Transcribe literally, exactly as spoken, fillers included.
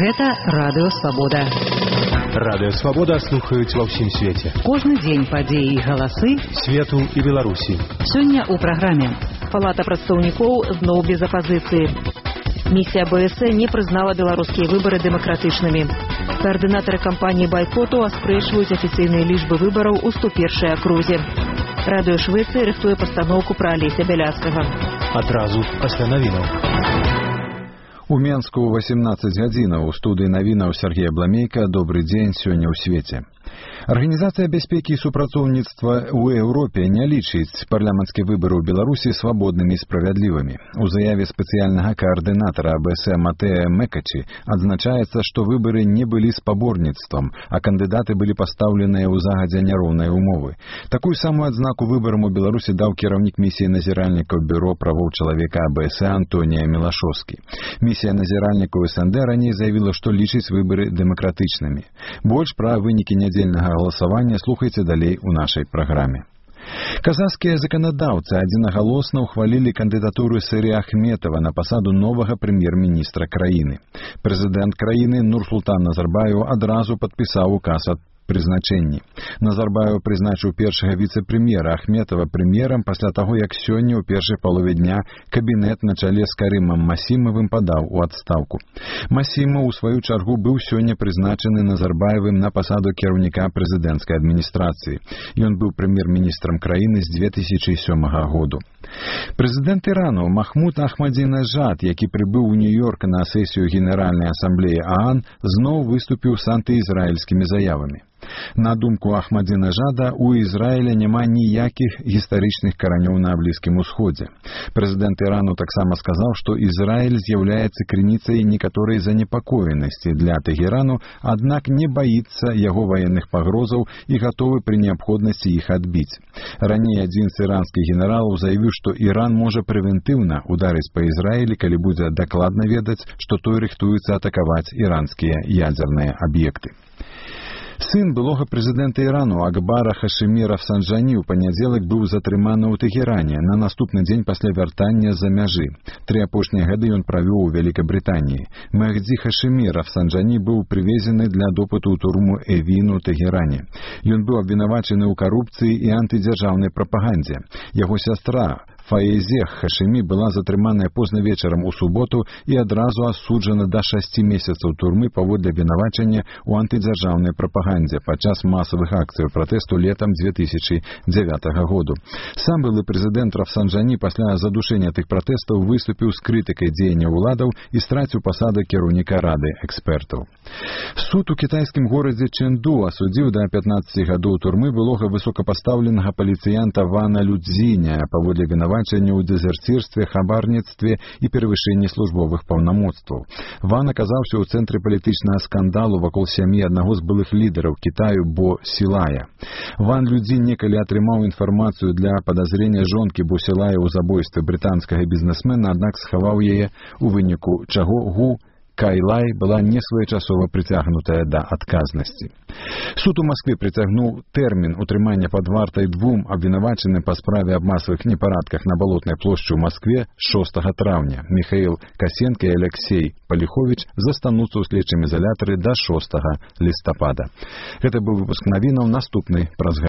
Гэта Радыё Свабода. Радыё Свабода слухаюць ва ўсім свеце. Кожны дзень падзеі і галасы свету і Беларусі. Сёння ў праграме. Палата прадстаўнікоў зноў без апазіцыі. Місія БС не прызнала беларускія выбары дэмакратычнымі. Каардынатары кампаніі байкоту аспрэчваюць афіцыйныя лічбы выбараў у сто першай акрузе. Радыё Швецыі рыхтуе пастаноўку пра Алеся Бяляцкага. Адразу пасля навінаў. У Менску восемнадцаць гадзінаў. У студыі навінаў Сергей Бламейка. Добры дзень сёння ў свеце. Арганізацыя бяспекі і супрацоўніцтва ў Еўропе не лічыць парламенцкія выбары ў Беларусі свабоднымі і справядлівымі. У заяве спецыяльнага каардынатара АБС Матэа Мекачы адзначаецца, што выбары не былі спаборніцтвам, а кандыдаты былі пастаўленыя ў загадзя няроўныя умовы. Такую самую адзнаку выбарам у Беларусі даў кіраўнік місіі назіральнікаў бюро правоў чалавека АБС Антонія Мілашоўскі. Місія назіральнікаў СНД раней заявіла, што лічыць выбары дэмакратычнымі. Больш пра вынікі нядзельнага галасавання слухайце далей у нашай праграме. Казахскія заканадаўцы адзінагалосна ўхвалілі кандыдатуру Сыры Ахметова на пасаду новага прэм'ер-міністра краіны. Прэзідэнт краіны Нурсултан Назарбаев адразу падпісаў указ аб прызначэнні. Назарбаев прызначыў першага віцэ-прэм'ера Ахметова прэм'ерам пасля таго, як сёння ў першай палове дня кабінет на чале з Карымам Масімавым падаў у адстаўку. Масімаў, у сваю чаргу, быў сёння прызначаны Назарбаевым на пасаду кіраўніка прэзідэнцкай адміністрацыі. Ён быў прэм'ер-міністрам краіны з две тысячы сёмага году. Прэзідэнт Ірану Махмуд Ахмадзінежад, які прыбыў у Нью-Йорк на сесію Генеральнай асамблеі ААН, зноў выступіў з антыізраільскімі заявамі. На думку Ахмадзінежада, у Ізраіля няма ніякіх гістарычных каранёў на Блізкім Усходзе. Прэзідэнт Ірану таксама сказаў, што Ізраіль з'яўляецца крыніцай некаторай занепакоенасці для Тэхерану, аднак не баіцца яго ваенных пагрозаў і гатовы пры неабходнасці іх адбіць. Раней адзін з іранскіх генералаў заявіў, што Іран можа прэвентыўна ударыць па Ізраілі, калі будзе дакладна ведаць, што той рыхтуецца атакаваць іранскія ядзерныя аб'екты. Сын былога прэзідэнта Ірану Акбара Хашымі Рафсанджані ў панядзелак быў затрыманы ў Тэхеране на наступны дзень пасля вяртання з-за мяжы. Тры апошнія гады ён правёў у Вялікабрытаніі. Мехдзі Хашымі Рафсанджані быў прывезены для допыту ў турму Эвін у Тэхеране. Ён быў абвінавачаны ў карупцыі і антыдзяржаўнай прапагандзе. Яго сястра Фаезе Хашымі была затрыманая позна вечарам у суботу і адразу асуджана да шасці месяцаў турмы паводле абвінавачання ў антыдзяржаўнай прапагандзе падчас масавых акцый пратэсту летам две тысячы дзявятага году. Сам былы прэзідэнт Рафсанджані пасля задушэння тых пратэстаў выступіў з крытыкай дзеяння ўладаў і страціў пасаду кіраўніка рады экспертаў. Суд у кітайскім горадзе Чэнду асудзіў да пятнаццаці гадоў турмы былога высокапастаўленага паліцыянта Вана Людзіня паводле абвінавачання ў дэзерцірстве, хабарніцтве і перавышэнні службовых паўнамоцтваў. Ван аказаўся ў цэнтры палітычнага скандалу вакол сям'і аднаго з былых лідараў Кітаю Бо Сілая. Ван Людзін некалі атрымаў інфармацыю для падазрення жонкі Бо Сілая ў забойстве брытанскага бізнесмена, аднак схаваў яе, у выніку чаго Гу Кайлай была несвоечасова прыцягнутая да адказнасці. Суд у Маскве прыцягнуў тэрмін утрымання пад вартай двум абвінавачаным па справе аб масавых непарадках на Балотнай плошчы ў Маскве шостага траўня. Міхаіл Касенка і Алексей Паліховіч застануцца ў следчым ізалятары да шостага лістапада. Гэта быў выпуск навінаў, наступны праз